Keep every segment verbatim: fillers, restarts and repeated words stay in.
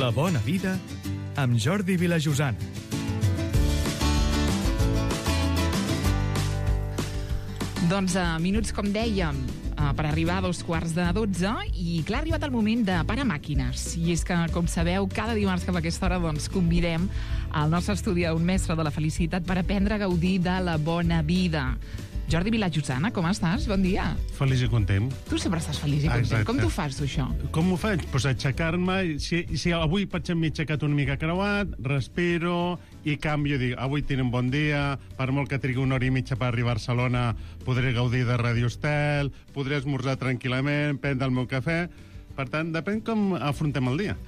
La bona vida amb Jordi Vilajosana. Doncs a minuts, com dèiem, per arribar a dos quarts de dotze, i clar, ha arribat el moment de parar màquines. I és que, com sabeu, cada dimarts cap a aquesta hora doncs, convidem al nostre estudi un mestre de la felicitat per aprendre a gaudir de la bona vida. Jordi Vilajosana, com estàs? Bon dia. Feliç i content. Tu sempre estàs feliç i content. Exacte. Com t'ho fas, tu, això? Com ho faig? Pues aixecar-me, si, si avui, per exemple, m'he aixecat una mica creuat, respiro i canvio, dic, avui tinc un bon dia, per molt que trigui una hora i mitja per arribar a Barcelona, podré gaudir de Radio Estel, podré esmorzar tranquil·lament, prendre el meu cafè. Per tant, depèn com afrontem el dia.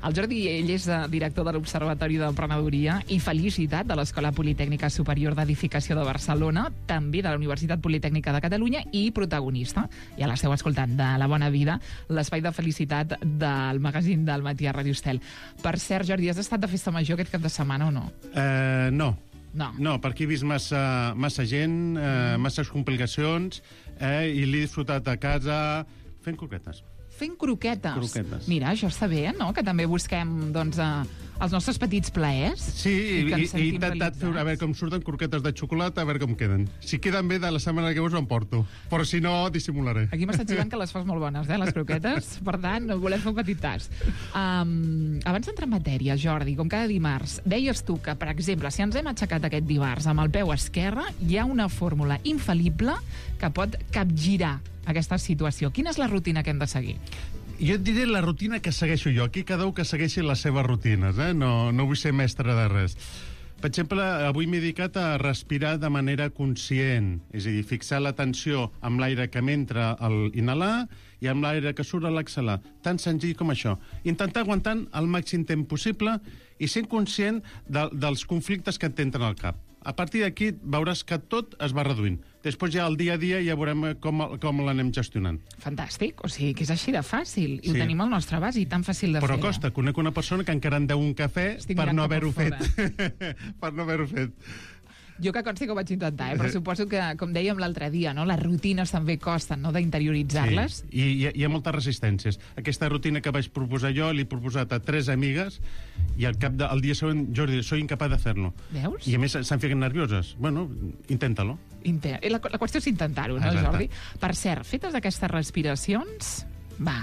El Jordi, ell és director de l'Observatori d'Emprenedoria i Felicitat de l'Escola Politècnica Superior d'Edificació de Barcelona, també de la Universitat Politècnica de Catalunya, i protagonista, ja l'esteu escoltant, de La Bona Vida, l'espai de felicitat del magazín del matí a Radio Estel. Per cert, Jordi, has estat de festa major aquest cap de setmana o no? Eh, no. No. No, perquè he vist massa, massa gent, eh, masses complicacions, eh, i l'he disfrutat a casa fent croquetes. Fent croquetes. Croquetes. Mira, això està bé, no? Que també busquem, doncs, eh, els nostres petits plaers. Sí, i, i he intentat fer, a veure com surten croquetes de xocolata, a veure com queden. Si queden bé, de la setmana que us ho emporto. Però si no, dissimularé. Aquí m'està xivant que les fas molt bones, eh, les croquetes. Per tant, volem fer un petit tast. Um, abans d'entrar en matèria, Jordi, com cada dimarts, deies tu que, per exemple, si ens hem aixecat aquest dimarts amb el peu esquerre, hi ha una fórmula infal·lible que pot capgirar aquesta situació. Quina és la rutina que hem de seguir? Jo et diré la rutina que segueixo jo. Aquí cada un que segueixi les seves rutines, eh? No, no vull ser mestre de res. Per exemple, avui m'he dedicat a respirar de manera conscient, és a dir, fixar l'atenció amb l'aire que m'entra al inhalar i amb l'aire que surt a l'exhalar. Tan senzill com això. Intentar aguantar el màxim temps possible i sent conscient de, dels conflictes que et entren al cap. A partir d'aquí veuràs que tot es va reduint. Després ja al dia a dia ja veurem com, com l'anem gestionant. Fantàstic, o sigui que és així de fàcil. I sí. Ho tenim al nostre abast i tan fàcil de Però fer. Però costa, conec una persona que encara en deu un cafè Estic per no cap haver-ho per fet. per no haver-ho fet. Jo que consti que ho vaig intentar, eh? Però suposo que, com dèiem l'altre dia, no? Les rutines també costen, no?, d'interioritzar-les. Sí. I hi ha, hi ha moltes resistències. Aquesta rutina que vaig proposar jo l'he proposat a tres amigues i al cap del de, dia següent, Jordi, soy incapaç de fer-lo. Veus? I a més s'han ficat nervioses. Bueno, inténtalo. Inter... La, la qüestió és intentar-ho, no, Exacte. Jordi? Per cert, fetes aquestes respiracions, va,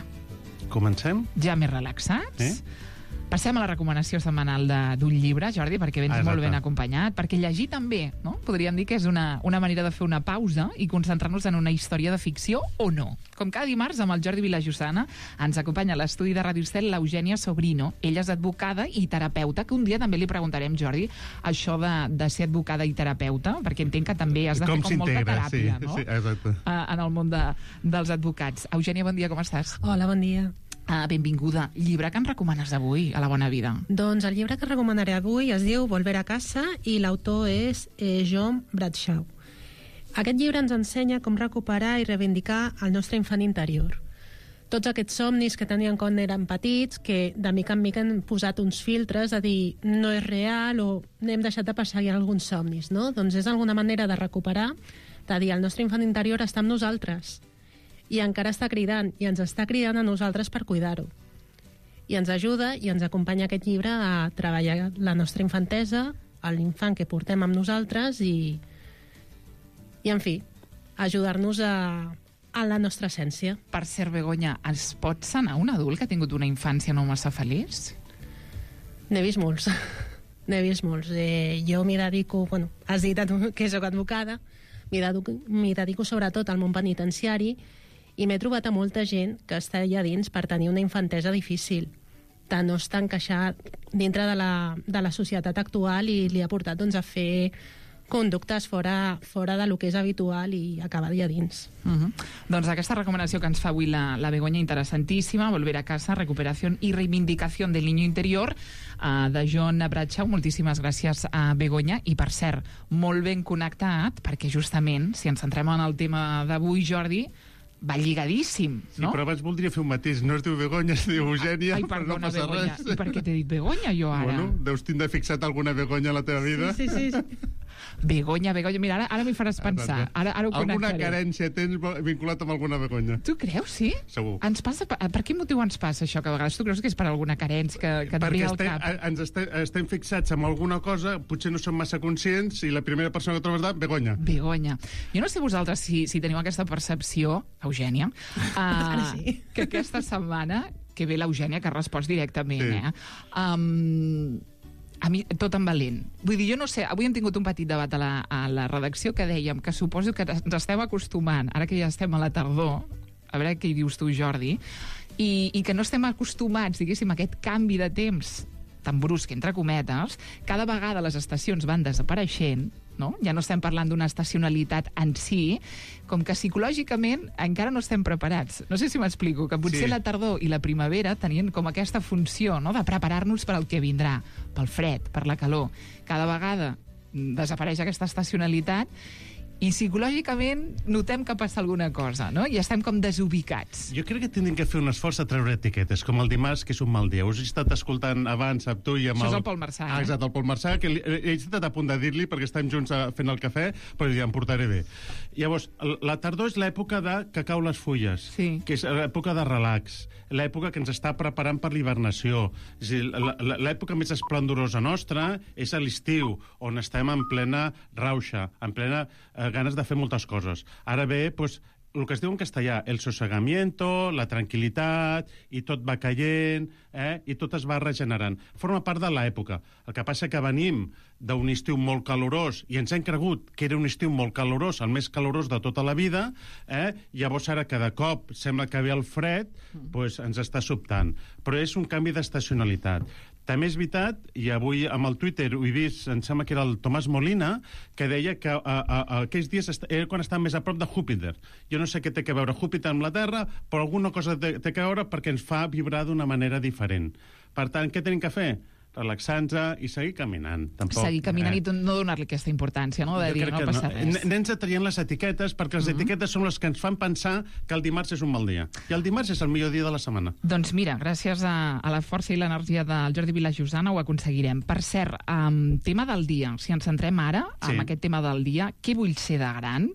comencem? Ja més relaxats. Eh? Passem a la recomanació setmanal d'un llibre, Jordi, perquè vens ah, molt ben acompanyat, perquè llegir també, no? Podríem dir que és una, una manera de fer una pausa i concentrar-nos en una història de ficció o no. Com cada dimarts, amb el Jordi Vilajosana, ens acompanya a l'estudi de Radio Estel l'Eugènia Sobrino. Ella és advocada i terapeuta, que un dia també li preguntarem, Jordi, això de, de ser advocada i terapeuta, perquè entenc que també has de com fer com molta teràpia, sí, no? Sí, exacte. En el món de, dels advocats. Eugènia, bon dia, com estàs? Hola, bon dia. Uh, benvinguda. Llibre que ens recomanes avui a La Bona Vida? Doncs el llibre que recomanaré avui es diu Volver a casa i l'autor és eh, John Bradshaw. Aquest llibre ens ensenya com recuperar i reivindicar el nostre infant interior. Tots aquests somnis que tenien quan eren petits, que de mica en mica han posat uns filtres a dir no és real o n'hem deixat de perseguir alguns somnis, no? Doncs és alguna manera de recuperar, de dir el nostre infant interior està amb nosaltres i encara està cridant, i ens està cridant a nosaltres per cuidar-ho. I ens ajuda i ens acompanya aquest llibre a treballar la nostra infantesa, l'infant que portem amb nosaltres i, i en fi, ajudar-nos a, a la nostra essència. Per cert, Begoña, es pot sanar un adult que ha tingut una infància no massa feliç? N'he vist molts. N'he vist molts. Eh, jo m'hi dedico, bueno, has dit que soc advocada, m'hi dedico, m'hi dedico sobretot al món penitenciari, i m'he trobat a molta gent que està allà dins per tenir una infantesa difícil, de no estar encaixat dintre de la, de la societat actual i li ha portat doncs, a fer conductes fora, fora de lo que és habitual i acabar allà dins. Uh-huh. Doncs aquesta recomanació que ens fa avui la, la Begoña, interessantíssima, Volver a casa, recuperación y reivindicación del niño interior, uh, de John Bradshaw. Moltíssimes gràcies a Begoña. I per cert, molt ben connectat, perquè justament, si ens centrem en el tema d'avui, Jordi, va lligadíssim, no? Sí, però abans voldria fer un mateix. No es diu Begoña, es diu Eugènia, Ai, però no perdona, passa Begoña. res. I per què t'he dit Begoña, jo, ara? Bueno, deus tindre fixat alguna Begoña a la teva vida. Sí, sí, sí. Begoña, Begoña, mira, ara, ara m'hi faràs pensar. Ara, ara ho alguna connectaré. carència tens vinculat amb alguna Begoña? Tu creus, sí? Segur. Ens passa, per, per quin motiu ens passa això? Que a vegades tu creus que és per alguna carència que, que et ve Perquè al estem, cap? ens estem, estem fixats en alguna cosa, potser no som massa conscients, i la primera persona que trobes de Begoña. Begoña. Jo no sé vosaltres si, si teniu aquesta percepció, Eugènia, uh, sí. que aquesta setmana, que ve l'Eugènia, que ha respost directament, Sí. eh? Um, a mi, tot en valent. Vull dir, jo no sé, avui hem tingut un petit debat a la, a la redacció que dèiem que suposo que ens estem acostumant, ara que ja estem a la tardor, a veure què hi dius tu, Jordi, i, i que no estem acostumats, diguéssim, a aquest canvi de temps tan brusc, entre cometes, cada vegada les estacions van desapareixent, no? Ja no estem parlant d'una estacionalitat en si, com que psicològicament encara no estem preparats. No sé si m'explico, que potser Sí. la tardor i la primavera tenien com aquesta funció, no?, de preparar-nos per al que vindrà, pel fred, per la calor. Cada vegada desapareix aquesta estacionalitat i psicològicament notem que passa alguna cosa, no? I estem com desubicats. Jo crec que tindrem que fer un esforç a treure etiquetes, com el dimarts, que és un mal dia. Us he estat escoltant abans, amb tu i amb Això és el... el Pol Marçà, Ah, eh? exacte, el Pol Marçà, que li, he estat a punt de dir-li, perquè estem junts a, fent el cafè, però ja em portaré bé. Llavors, la tardor és l'època de que cau les fulles, Sí. que és l'època de relax, l'època que ens està preparant per l'hibernació. És a dir, la- la- l'època més esplendorosa nostra és a l'estiu, on estem en plena rauxa, en plena eh, ganes de fer moltes coses. Ara ve, doncs, el que es diu en castellà, el sosegamiento, la tranquil·litat, i tot va caient, eh? I tot es va regenerant. Forma part de l'època. El que passa que venim d'un estiu molt calorós, i ens hem cregut que era un estiu molt calorós, el més calorós de tota la vida, eh? Llavors ara que de cop sembla que ve el fred, doncs ens està sobtant. Però és un canvi d'estacionalitat. També és veritat, i avui amb el Twitter ho he vist, em sembla que era el Tomàs Molina, que deia que a, a, a aquells dies est era quan estàvem més a prop de Júpiter. Jo no sé què té a veure Júpiter amb la Terra, però alguna cosa té, té a veure perquè ens fa vibrar d'una manera diferent. Per tant, què tenim que fer? Relaxar-nos i seguir caminant. Tampoc, Seguir caminant eh? i no donar-li aquesta importància, no? De Jo dir, crec no que passa res. Anem traient les etiquetes, perquè les etiquetes són les que ens fan pensar que el dimarts és un mal dia. I el dimarts és el millor dia de la setmana. Doncs mira, gràcies a, a la força i l'energia del Jordi Vilajosana ho aconseguirem. Per cert, um, tema del dia. Si ens centrem ara Sí. en aquest tema del dia, què vull ser de gran?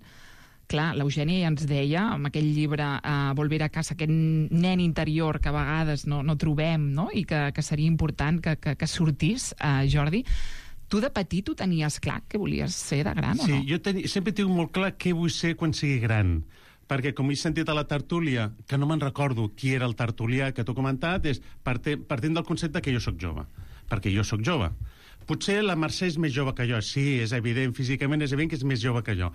Clar, l'Eugènia ja ens deia, amb aquell llibre uh, Volver a casa, aquest nen interior que a vegades no, no trobem, no? I que, que seria important que, que, que sortís, uh, Jordi. Tu de petit ho tenies clar que volies ser de gran Sí, o no? jo teni, sempre tinc molt clar què vull ser quan sigui gran. Perquè, com he sentit a la tertúlia, que no me'n recordo qui era el tertulià que t'ho comentat, és partint, partint del concepte que jo sóc jove. Perquè jo sóc jove. Potser la Mercè és més jove que jo. Sí, és evident, físicament és evident que és més jove que jo.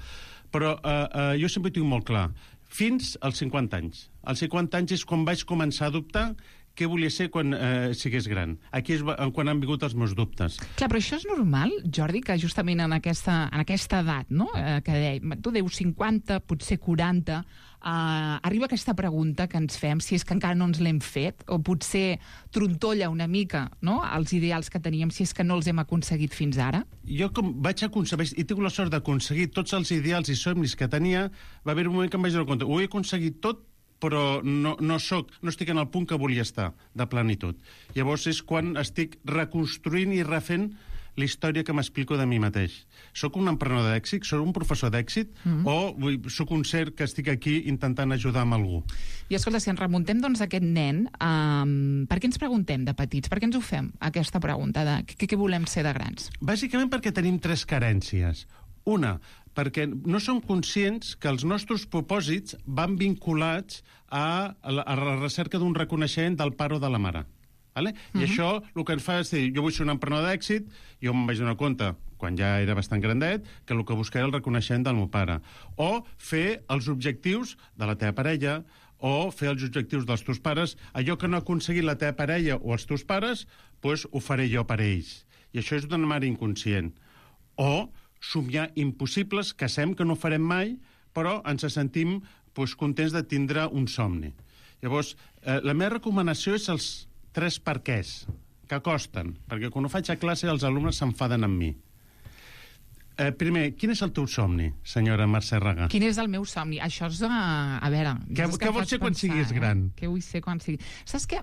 Però eh, eh, jo sempre ho tinc molt clar. Fins als cinquanta anys. Als cinquanta anys és quan vaig començar a dubtar què volia ser quan eh, sigués gran. Aquí és quan han vingut els meus dubtes. Clar, però això és normal, Jordi, que justament en aquesta, en aquesta edat, no?, eh, que de, tu deus cinquanta, potser quaranta, eh, arriba aquesta pregunta que ens fem, si és que encara no ens l'hem fet, o potser trontolla una mica, no?, els ideals que teníem, si és que no els hem aconseguit fins ara? Jo com vaig aconseguir, i tinc la sort d'aconseguir tots els ideals i somnis que tenia, va haver un moment que em vaig donar compte, ho he aconseguit tot, però no, no, soc, no estic en el punt que volia estar, de plenitud. Llavors és quan estic reconstruint i refent la història que m'explico de mi mateix. Soc un emprenedor d'èxit, soc un professor d'èxit, mm-hmm. o vull, soc un ser que estic aquí intentant ajudar amb algú? I escolta, si ens remuntem doncs a aquest nen, um, per què ens preguntem de petits? Per què ens ho fem, aquesta pregunta de què, què volem ser de grans? Bàsicament perquè tenim tres carències. Una, perquè no som conscients que els nostres propòsits van vinculats a la, a la recerca d'un reconeixement del pare o de la mare. Vale? Uh-huh. I això el que ens fa és dir, jo vull ser un emprenedor d'èxit, jo em vaig donar compte, quan ja era bastant grandet, que el que buscava era el reconeixement del meu pare. O fer els objectius de la teva parella, o fer els objectius dels teus pares. Allò que no ha aconseguit la teva parella o els teus pares, doncs ho faré jo per ells. I això és d'una mare inconscient. O somiar impossibles que sem que no farem mai, però ens sentim doncs, contents de tindre un somni. Llavors, eh, la meva recomanació és els tres perquès, que costen, perquè quan ho faig a classe els alumnes s'enfaden amb mi. Eh, primer, quin és el teu somni, senyora Mercè Raga? Quin és el meu somni? Això és, a, a veure... Què, és què em vols fas ser quan pensar, siguis eh? gran? Què vull ser quan sigui... Saps què?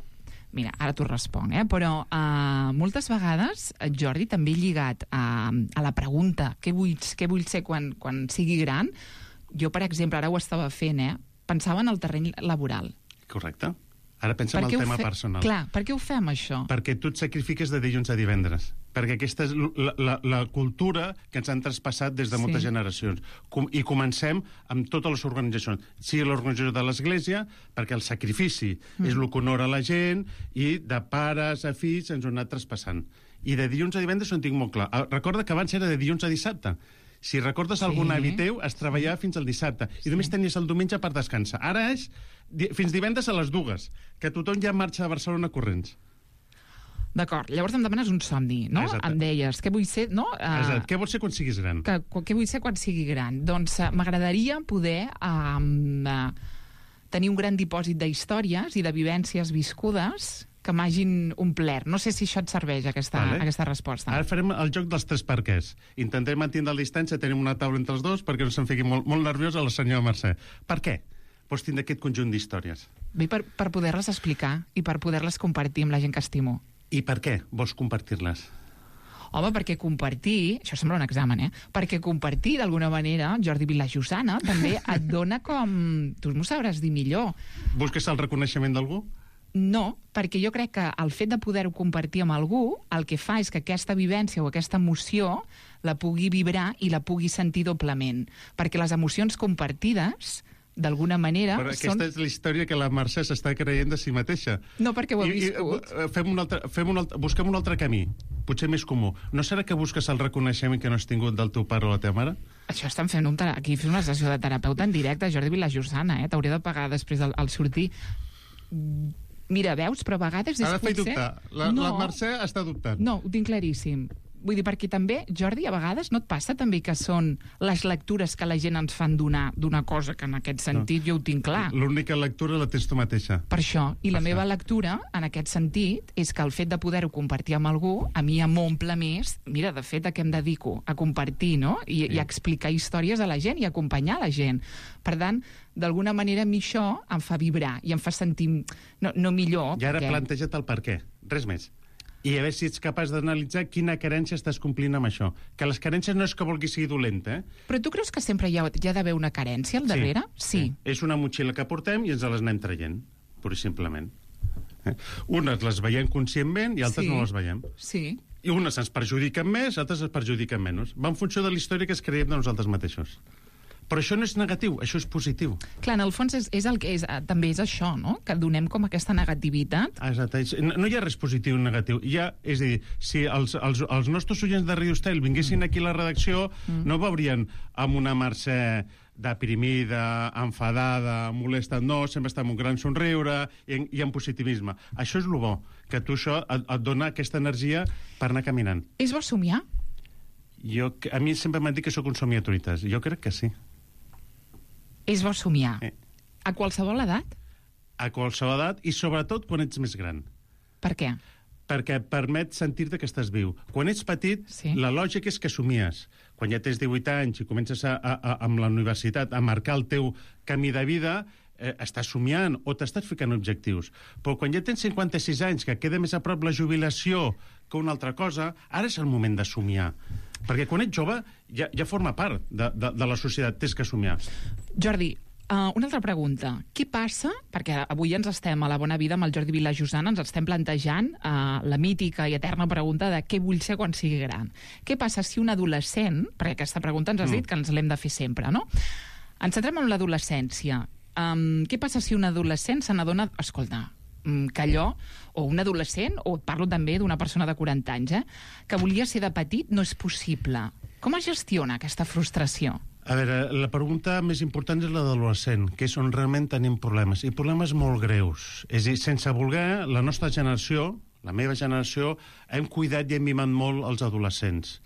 Mira, ara t'ho responc, eh? però uh, moltes vegades, Jordi, també lligat a, a la pregunta què vull, què vull ser quan, quan sigui gran, jo, per exemple, ara ho estava fent, eh? pensava en el terreny laboral. Correcte. Ara pensa en el tema fe... personal. Clar, per què ho fem, això? Perquè tu et sacrifiques de dilluns a divendres. Perquè aquesta és la, la, la cultura que ens han traspassat des de moltes sí. generacions. Com, I comencem amb totes les organitzacions. Sigui l'organització de l'Església, perquè el sacrifici mm. és el que honora la gent, i de pares a fills ens ho han anat traspassant. I de dilluns a divendres ho en tinc molt clar. Recorda que abans era de dilluns a dissabte. Si recordes sí. algun avi teu, es treballava fins al dissabte. Sí. I només tenies el diumenge per descansar. Ara és fins divendres a les dues, que tothom ja marxa de Barcelona corrents. D'acord. Llavors em demanes un somni, no? Exacte. Em deies, què vull ser, no? Uh, Exacte. Què vols ser quan siguis gran? Que, què vull ser quan sigui gran? Doncs uh, m'agradaria poder uh, uh, tenir un gran dipòsit d'històries i de vivències viscudes que m'hagin omplert. No sé si això et serveix, aquesta, vale. aquesta resposta. Ara farem el joc dels tres perquès. Intentem mantenir la distància, tenim una taula entre els dos perquè no se'n fiqui molt, molt nerviós a la senyora Mercè. Per què vols tindre aquest conjunt d'històries? Bé, per, per poder-les explicar i per poder-les compartir amb la gent que estimo. I per què vols compartir-les? Home, perquè compartir... Això sembla un examen, eh? Perquè compartir, d'alguna manera, Jordi Vilajosana, també et dona com... Tu m'ho sabràs dir millor. Busques el reconeixement d'algú? No, perquè jo crec que el fet de poder-ho compartir amb algú el que fa és que aquesta vivència o aquesta emoció la pugui vibrar i la pugui sentir doblement. Perquè les emocions compartides, d'alguna manera... Però aquesta són... és la història que la Mercè s'està creient de si mateixa. No, perquè ho he I, viscut. I, fem un altre, fem un altre, busquem un altre camí, potser més comú. No serà que busques el reconeixement que no has tingut del teu pare o la teva mare? Això estan fent un tera... aquí fent una sessió de terapeuta en directe, Jordi Vilajosana, eh? T'hauria de pagar després al, al sortir... Mira, veus, però a vegades és ha de fer potser... dubtar. La, no. la Mercè està dubtant. No, ho tinc claríssim. Vull dir, perquè també, Jordi, a vegades no et passa també que són les lectures que la gent ens fan donar d'una cosa que en aquest sentit no. jo ho tinc clar. L'única lectura la tens tu mateixa. Per això. I per la això. meva lectura, en aquest sentit, és que el fet de poder-ho compartir amb algú, a mi em omple més, mira, de fet, a què em dedico? A compartir, no? I, sí. i a explicar històries a la gent i a acompanyar la gent. Per tant, d'alguna manera a mi això em fa vibrar i em fa sentir no, no millor. I ara perquè... planteja't el per què. Res més. I a veure si ets capaç d'analitzar quina carència estàs complint amb això. Que les carències no és que vulgui ser dolenta, eh? Però tu creus que sempre hi ha, hi ha d'haver una carència al darrere? Sí. sí. És una motxilla que portem i ens les anem traient, pur i simplement. Eh? Unes les veiem conscientment i altres sí. no les veiem. Sí. I unes ens perjudiquen més, altres ens perjudiquen menys. Va en funció de la història que es creiem de nosaltres mateixos. Però això no és negatiu, això és positiu. Clar, en el fons és, és el que és, també és això, no? Que donem com aquesta negativitat. Ah, exacte. No, no hi ha res positiu ni negatiu. Hi ha, és a dir, si els, els, els nostres oients de Radio Estel vinguessin mm. aquí a la redacció, mm. no veurien amb una Mercè deprimida, enfadada, molesta, no, sempre està amb un gran somriure i, i amb positivisme. Això és el bo, que tu això et, et dona aquesta energia per anar caminant. És bo somiar? Jo, a mi sempre m'han dit que sóc un somiatruites. Jo crec que sí. És bo somiar. Eh. A qualsevol edat? A qualsevol edat i sobretot quan ets més gran. Per què? Perquè et permet sentir-te que estàs viu. Quan ets petit, sí. la lògica és que somies. Quan ja tens divuit anys i comences a, a, a, amb la universitat a marcar el teu camí de vida, eh, estàs somiant o t'estàs ficant objectius. Però quan ja tens cinquanta-sis anys, que queda més a prop la jubilació que una altra cosa, ara és el moment de somiar. Perquè quan ets jove ja, ja forma part de, de, de la societat, tens que somiar. Jordi, uh, una altra pregunta. Què passa, perquè avui ens estem a la bona vida amb el Jordi Vilajosana, ens estem plantejant uh, la mítica i eterna pregunta de què vull ser quan sigui gran. Què passa si un adolescent, perquè aquesta pregunta ens has dit mm. que ens l'hem de fer sempre, no? Ens centrem en l'adolescència. Um, què passa si un adolescent se n'adona... Escolta, que allò, o un adolescent, o parlo també d'una persona de quaranta anys, eh, que volia ser de petit, no és possible. Com es gestiona aquesta frustració? A veure, la pregunta més important és la de l'adolescent, que és on realment tenim problemes, i problemes molt greus. És a dir, sense voler, la nostra generació, la meva generació, hem cuidat i hem mimat molt els adolescents.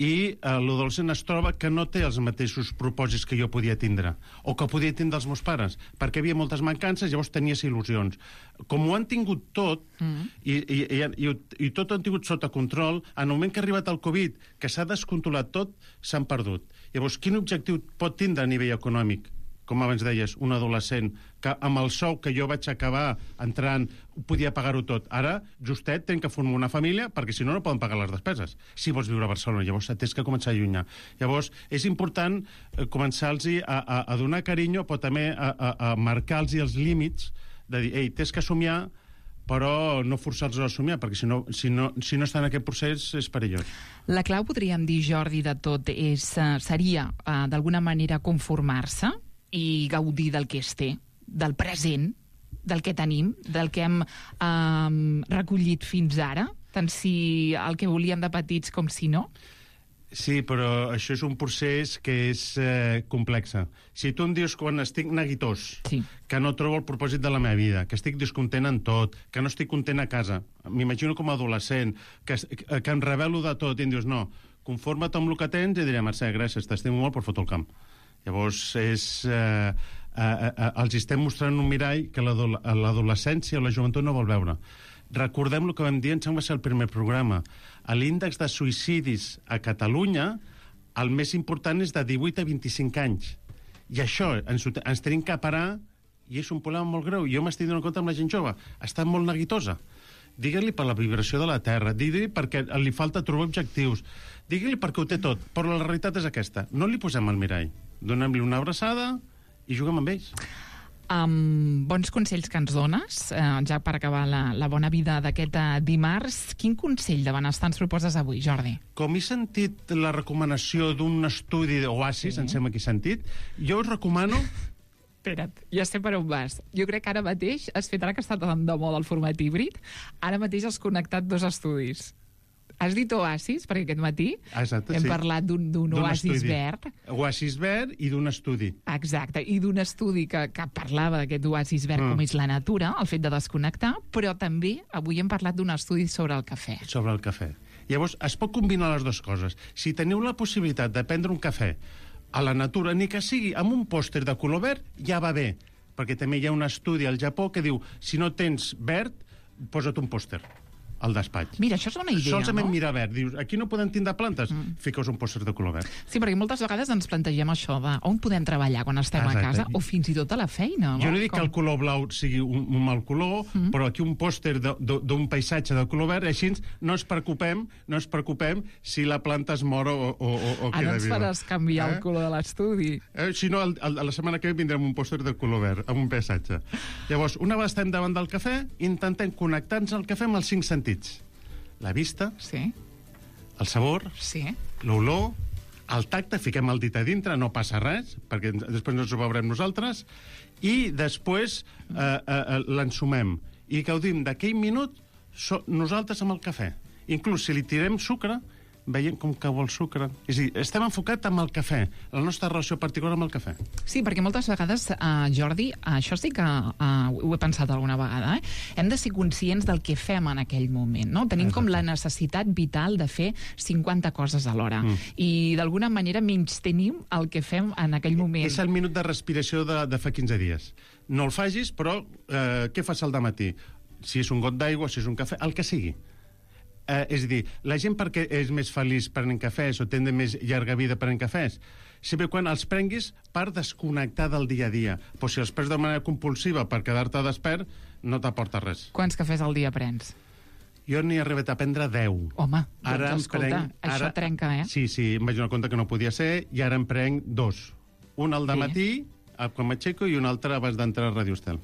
I eh, l'adolescent es troba que no té els mateixos propòsits que jo podia tindre, o que podia tindre els meus pares, perquè hi havia moltes mancances, llavors tenies il·lusions. Com ho han tingut tot, mm. i, i, i, i, i tot ho han tingut sota control, en el moment que ha arribat el Covid, que s'ha descontrolat tot, s'han perdut. Llavors, quin objectiu pot tindre a nivell econòmic? com abans deies, un adolescent, que amb el sou que jo vaig acabar entrant podia pagar-ho tot. Ara, justet, tenen que formar una família perquè si no, no poden pagar les despeses. Si vols viure a Barcelona, llavors tens que començar a allunyar. Llavors, és important començar-los a, a, a donar carinyo, però també a, a, a marcar-los els límits de dir, ei, tens que somiar, però no forçar-los a somiar, perquè si no, si, no, si no està en aquest procés és perillós. La clau, podríem dir, Jordi, de tot és, seria, uh, d'alguna manera, conformar-se i gaudir del que es té, del present, del que tenim, del que hem um, recollit fins ara, tant si el que volíem de petits com si no? Sí, però això és un procés que és eh, complex. Si tu em dius quan estic neguitós, sí, que no trobo el propòsit de la meva vida, que estic descontent en tot, que no estic content a casa, m'imagino com a adolescent, que, que em revelo de tot, i em dius, no, conforma't amb el que tens, i diré, Mercè, gràcies, t'estimo molt, però foto el camp. Llavors, és, eh, eh, eh, els estem mostrant un mirall que l'adolescència o la joventut no vol veure. Recordem el que vam dir, em sembla que va ser el primer programa. A l'índex de suïcidis a Catalunya, el més important és de divuit a vint-i-cinc anys. I això ens, ens tenim que parar, i és un problema molt greu. Jo m'estic donant compte amb la gent jove. Està molt neguitosa. Digue-li per la vibració de la Terra, digue-li perquè li falta trobar objectius, digue-li perquè ho té tot, però la realitat és aquesta. No li posem al mirall. Donem-li una abraçada i juguem amb ells. Um, bons consells que ens dones, uh, ja per acabar la, la bona vida d'aquest uh, dimarts. Quin consell de benestar ens proposes avui, Jordi? Com he sentit la recomanació d'un estudi d'Oasis, sí, em sembla que he sentit, jo us recomano... Espera't, ja sé per on vas. Jo crec que ara mateix has fet, ara que està tan de moda el format híbrid, ara mateix has connectat dos estudis. Has dit oasis, perquè aquest matí Exacte, hem sí. parlat d'un oasis estudi. verd. Oasis verd i d'un estudi. Exacte, i d'un estudi que, que parlava d'aquest oasis verd, mm. com és la natura, el fet de desconnectar, però també avui hem parlat d'un estudi sobre el cafè. Sobre el cafè. Llavors, es pot combinar les dues coses. Si teniu la possibilitat de prendre un cafè a la natura, ni que sigui amb un pòster de color verd, ja va bé, perquè també hi ha un estudi al Japó que diu, si no tens verd, posa't un pòster al despatx. Mira, això és una idea, Solament no? mirar verd. Dius, aquí no podem tindre plantes? Mm. Fiqueu un pòster de color verd. Sí, perquè moltes vegades ens plantegem això de on podem treballar quan estem Exacte. a casa, o fins i tot a la feina. Jo no dic Com? que el color blau sigui un, un mal color, mm. però aquí un pòster d'un paisatge de color verd, així no ens preocupem, no ens preocupem si la planta es mor o, o, o, o queda Ara ens viva. faràs canviar eh? el color de l'estudi. Eh, si no, el, el, la setmana que ve vindrem un pòster de color verd, amb un paisatge. Llavors, una vegada estem davant del cafè, intentem connectar-nos al cafè amb els cinc sentits. La vista, sí. el sabor, sí. l'olor, el tacte, fiquem el dit a dintre, no passa res, perquè després no ens ho veurem nosaltres, i després eh, eh, l'ensumem. I gaudim d'aquell minut so, nosaltres amb el cafè. Inclús si li tirem sucre, veiem com que vol sucre. És a dir, estem enfocats amb el cafè, la nostra relació particular amb el cafè. Sí, perquè moltes vegades, uh, Jordi, això sí que uh, ho he pensat alguna vegada, eh? hem de ser conscients del que fem en aquell moment, no? Tenim Exacte. com la necessitat vital de fer cinquanta coses alhora. Mm. I d'alguna manera menys tenim el que fem en aquell moment. És el minut de respiració de, de fa quinze dies. No el facis, però eh, què fas al dematí? Si és un got d'aigua, si és un cafè, el que sigui. Eh, és a dir, la gent perquè és més feliç prenent cafès o té més llarga vida prenent cafès, sempre quan els prenguis per desconnectar del dia a dia. Però si els prens de manera compulsiva per quedar-te despert, no t'aporta res. Quants cafès al dia prens? Jo n'he arribat a prendre deu. Home, ara doncs escolta, prenc, ara, això trenca, eh? Sí, sí, em vaig donar compte que no podia ser, i ara en prenc dos. Un al dematí, sí. quan m'aixeco, i un altre abans d'entrar a Radio Estel.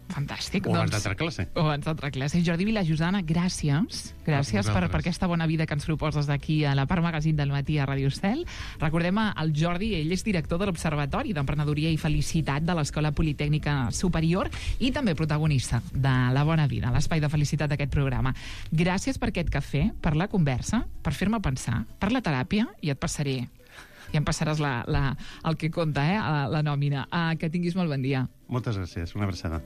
Fantàstic. O abans d'altra classe. O abans d'altra classe. Jordi Vilajosana, gràcies. Gràcies per, per aquesta bona vida que ens proposes aquí a la Part Magazín del matí a Radio Estel. Recordem el Jordi, ell és director de l'Observatori d'Emprenedoria i Felicitat de l'Escola Politècnica Superior i també protagonista de La Bona Vida, l'espai de felicitat d'aquest programa. Gràcies per aquest cafè, per la conversa, per fer-me pensar, per la teràpia, i et passaré i em passaràs la, la, el que compta, eh, la, la nòmina. Uh, que tinguis molt bon dia. Moltes gràcies, una abraçada.